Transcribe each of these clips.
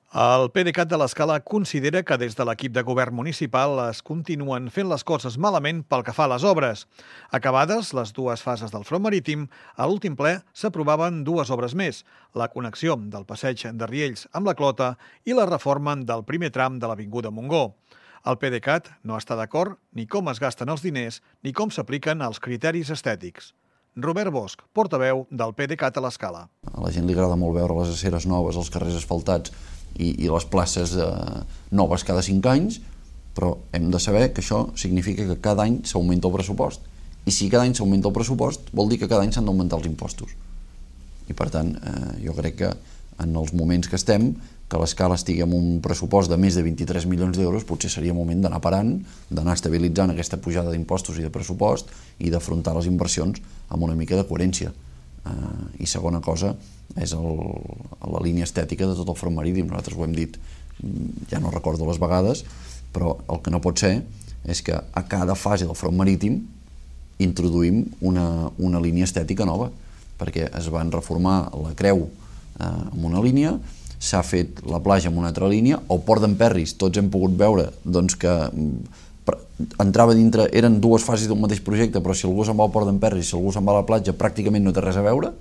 El PDeCAT de l'Escala considera que des de l'equip de govern municipal es continuen fent les coses malament pel que fa a les obres. Acabades les dues fases del front marítim, a l'últim ple s'aprovaven dues obres més, la connexió del passeig de Riells amb la Clota i la reforma del primer tram de l'Avinguda Montgó. El PDeCAT no està d'acord ni com es gasten els diners ni com s'apliquen els criteris estètics. Robert Bosch, portaveu del PDeCAT a l'Escala. A la gent li agrada molt veure les aceres noves, els carrers asfaltats i les places noves cada 5 anys, però hem de saber que això significa que cada any s'augmenta el pressupost. I si cada any s'augmenta el pressupost, vol dir que cada any s'han d'augmentar els impostos. I per tant, jo crec que en els moments que estem, que l'Escala estigui amb un pressupost de més de 23 milions d'euros, potser seria moment d'anar parant, d'anar estabilitzant aquesta pujada d'impostos i de pressupost i d'afrontar les inversions amb una mica de coherència. I segona cosa és la línia estètica de tot el front marítim. Nosaltres ho hem dit, ja no recordo les vegades, però el que no pot ser és que a cada fase del front marítim introduïm una línia estètica nova, perquè es van reformar la creu amb una línia, s'ha fet la platja amb una altra línia, el port d'Emperris, tots hem pogut veure doncs, que entrava dintre, eren dues fases d'un mateix projecte, però si algú se'n va al port d'Emperris, si algú se'n va a la platja, pràcticament no té res a veure,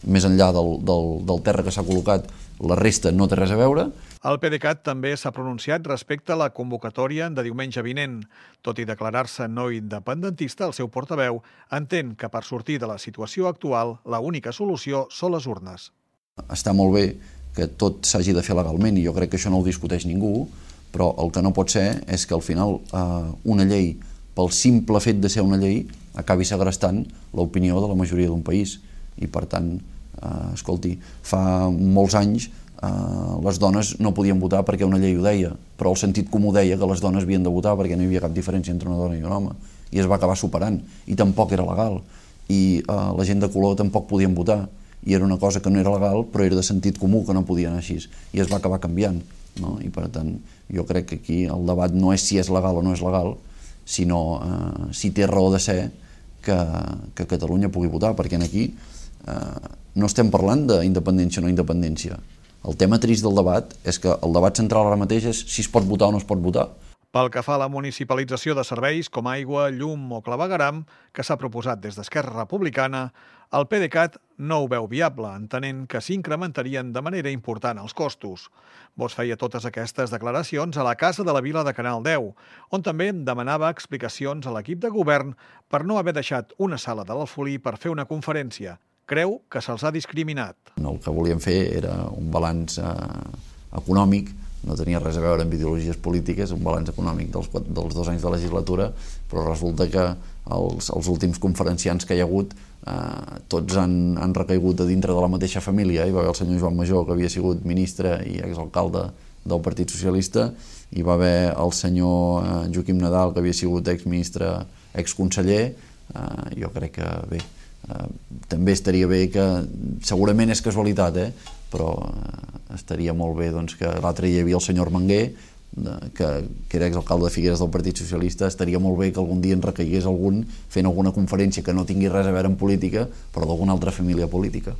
més enllà del terra que s'ha col·locat, la resta no té res a veure. El PDeCAT també s'ha pronunciat respecte a la convocatòria de diumenge vinent. Tot i declarar-se no independentista, el seu portaveu entén que per sortir de la situació actual la única solució són les urnes. Està molt bé que tot s'hagi de fer legalment i jo crec que això no ho discuteix ningú, però el que no pot ser és que al final una llei, pel simple fet de ser una llei, acabi segrestant l'opinió de la majoria d'un país. I per tant, escolti, fa molts anys les dones no podien votar perquè una llei ho deia, però el sentit comú deia que les dones havien de votar perquè no hi havia cap diferència entre una dona i un home, i es va acabar superant, i tampoc era legal, i la gent de color tampoc podien votar, i era una cosa que no era legal, però era de sentit comú que no podien anar així, i es va acabar canviant, no? I per tant, jo crec que aquí el debat no és si és legal o no és legal, sinó si té raó de ser que Catalunya pugui votar, perquè aquí no estem parlant d'independència o no independència. El tema trist del debat és que el debat central ara mateix és si es pot votar o no es pot votar. Pel que fa a la municipalització de serveis com aigua, llum o clavegueram, que s'ha proposat des d'Esquerra Republicana, el PDeCAT no ho veu viable, entenent que s'incrementarien de manera important els costos. Bosch feia totes aquestes declaracions a la Casa de la Vila de Canal 10, on també demanava explicacions a l'equip de govern per no haver deixat una sala de l'Alfolí per fer una conferència. Creu que se'ls ha discriminat. El que volíem fer era un balanç econòmic, no tenia res a veure amb ideologies polítiques, un balanç econòmic dels 2 anys de legislatura, però resulta que els últims conferenciants que hi ha hagut tots han recaigut a dintre de la mateixa família. Hi va haver el senyor Joan Major, que havia sigut ministre i exalcalde del Partit Socialista, hi va haver el senyor Joaquim Nadal, que havia sigut exministre, exconseller. Jo crec que bé, també estaria bé que, segurament és casualitat, però estaria molt bé que l'altre dia hi havia el senyor Armenguer, que era exalcalde de Figueres del Partit Socialista. Estaria molt bé que algun dia en recaigués algun fent alguna conferència que no tingui res a veure amb política, però d'alguna altra família política.